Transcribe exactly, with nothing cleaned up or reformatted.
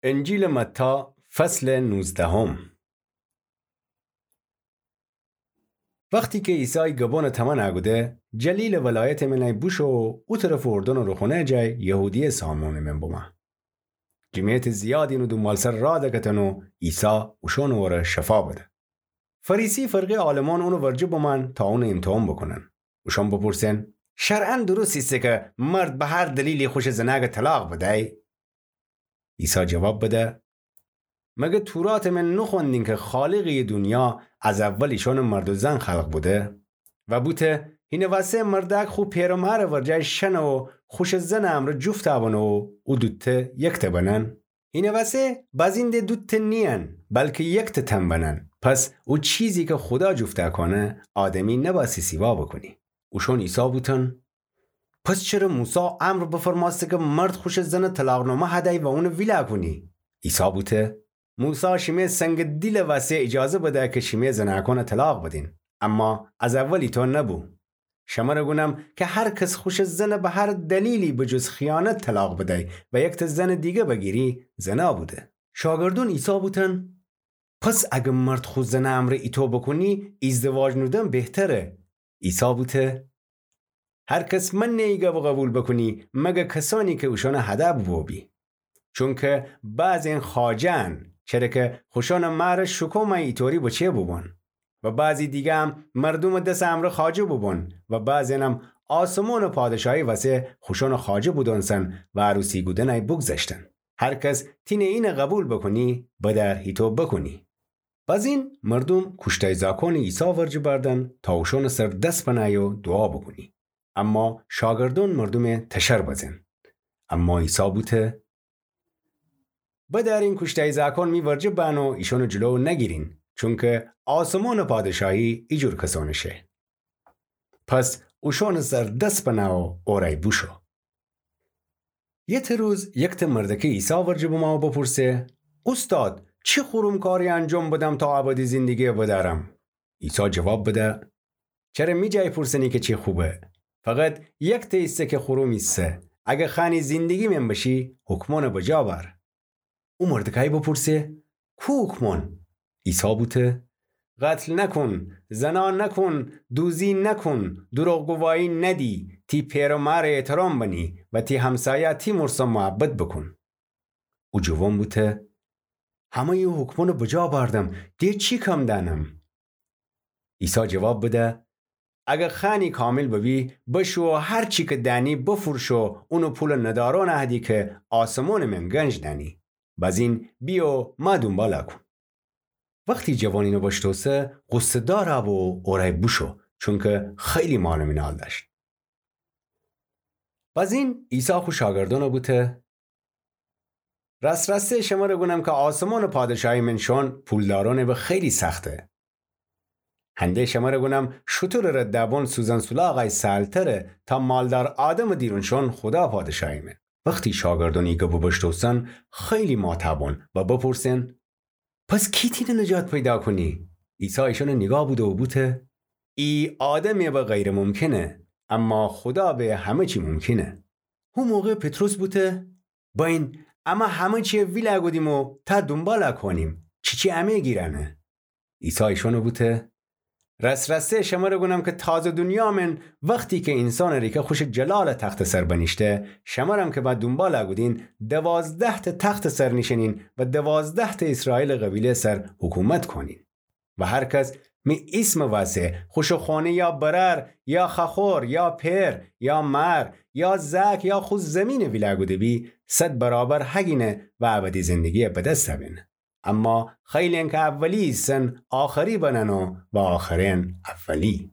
انجیلٚ متی، فصلٚ نوزدهم. وختی کی عیسی گبونٚ تمنَ کوده، جلیلٚ ولایتٚ مینی بوشو و او طرفٚ اردنٚ روخونه‌یٚ جای یهودیه سامونٚ مین بومه. جمعیتٚ زیادی اونٚ دونبالسر راه دکفتن و عیسی اوشونٚ وره شفا بده. فریسی فرقه‌یٚ عالمأن اونٚ ورجه بمأن تا اونَ ایمتحان بوکونن. اوشأن بپورسن: شرعاً درست ایسه کی مرد به هر دلیلی خوشٚ زنأکَ طلاق بدی؟ عیسی جواب بده: مگر توراتٚ مین نوخوأندین کی خالقٚ دونیا از اول ایشأنَ مرد و زن خلق بوده؟ و بوته: هینٚ وسه مردأک خو پئر و مارٚ ورجه شأنه و خوشٚ زنٚ امرأ جفت بنه و او دوتأ یکتأ بنن؟ هینٚ وسه بزین د دوتأ نیین، بلکی یکتأ تن بنن. پس او چیزی کی خودا جفت کونه، آدمی نبأستی سیوا بوکونی. اوشأن عیسی بوتن: پس چره موسی امر بفرمأسته کی مرد خوشٚ زنَ طلاق‌نامه هدی و اونَ ویلا کونی؟ عیسی بوته: موسی شیمه سنگٚ دیلٚ وسه ایجازه بده کی شیمه زنأکأنَ طلاق بدین، اما از اول ایطو نبو. شمره گونم کی هر کس خوشٚ زنَ به هر دلیلی به جز خیانت طلاق بدی و یکتأ زنٚ دیگه بگیری، زنا بوده. شاگردأن عیسی بوتن: پس اگر مرد خو زنٚ امرأ ایطو بوکونی، ایزدواج نودن بهتره. عیسی بوته: هر کس منه ای گبَ قوبیل بوکونی، مگر کسأنی کی اوشأنَ هده بوبو بی. چونکی بعضین خواجه‌ان، چره کی خوشأنٚ مارَ شوکومه ایطوری بچه بوبون. و بعضی دیگه‌م مردومٚ دسٚ امرأ خواجه بوبون و بعضینم آسمونٚ پادشاهی وسه خوشأنٚ خواجه بودونسن و عروسی کودنٚ بوگذشتن. هر کس تینه اینَ قوبیل بوکونی، بدأر ایطو بوکونی. بزین مردوم کوشتای زاکونٚ عیسی ورجه بردن تا اوشأنٚ سر دس بنه و دوعا بوکونی. اما شاگردأن مردومَ تشر بزن. اما عیسی بوته: بدأرین کوشتای زاکون می ورجه بأن و ایشأنٚ جلو نگیرین، چونکی آسمونٚ پادشاهی ایجور کسأنٚ شه. پس اوشأنٚ سر دس بنه و اورأی بوشو. یکتأ روز یکتأ مردأکی عیسی ورجه بمه و بپورسه: اوستاد، چی خورم کاری انجام بدم تا ابدی زندگی بدأرم؟ عیسی جواب بده: چره می جای پورسنی کی چی خوبه؟ فقط یکتأ ایسه کی خورم ایسه. اگر خوأنی زندگی مین بشی، حکمأنَ بجا بأر. او مردأکی بپورسه: کو حکمأن؟ عیسی بوته: قتل نکون، زنا نکون، دوزی نکون، دروغ گواهی ندی، تی پئر و مارَ احترام بنی و تی همسایه تی مورسا محبت بوکون. او جوان بوته: همه‌یٚ او حکمأنَ بجا بأردم، دِ چی کم دأنم؟ عیسی جواب بده: اگر خوأنی کامل ببی، بشو و هر چی کی دأنی بفروش و اونٚ پولَ ندارأنَ هدی کی آسمونٚ مین گنج دأنی. بزین بیه و مه دونبالَ کون. وختی جوان اینَ بشنوسه، غصه‌دار بو و اورأی بوشو، چونکی خیلی مال و منال دأشت. بزین عیسی خو شاگردأنَ بوته: رأست رأسته شمره گونم کی آسمونٚ پادشاهی مین شون پولدارأنٚ به خیلی سخته. هنده شمره گونم شوتورٚ ردبون سوزن سولاغی سهل‌تره تا مالدار آدمٚ دیرون شون خودا پادشاهی مین. وختی شاگردأن ای گبَ بشنوسن، خیلی ماتأ بون و بپورسن: پس کی تینه نجات پیدا کونی؟ عیسی ایشأنَ نیگاه بوده و بوته: ای آدمٚ به غیرممکنه، اما خودا به همه چی ممکنه. هو موقع پطرس بوته: بأیین، امه همه چی ویلا کودیم و تأ دونبالَ کونیم، چیچی امه گیرأنه؟ عیسی ایشأنَ بوته: رأست رأسته شمره گونم کی تازه دونیا مین وختی کی اینسانٚ ریکه خوشٚ جلالٚ تختٚ سر بنیشته، شمرم کی مه دونبالَ کودین، دوازده‌تأ تختٚ سر نیشینین و دوازده‌تأ ایسرائیلٚ قبیله‌یٚ سر حکومت کونین. و هر کس می ایسمٚ وسه خوشٚ خونه یا برأر یا خوأخور یا پئر یا مأر یا زأک یا خو زیمینَ ویلا کوده بی، صد برابر هگینه و ابدی زندگیَ به دس بأنه. اما خیلین کی اولی ایسن، آخری بنن و، و آخرین اولی.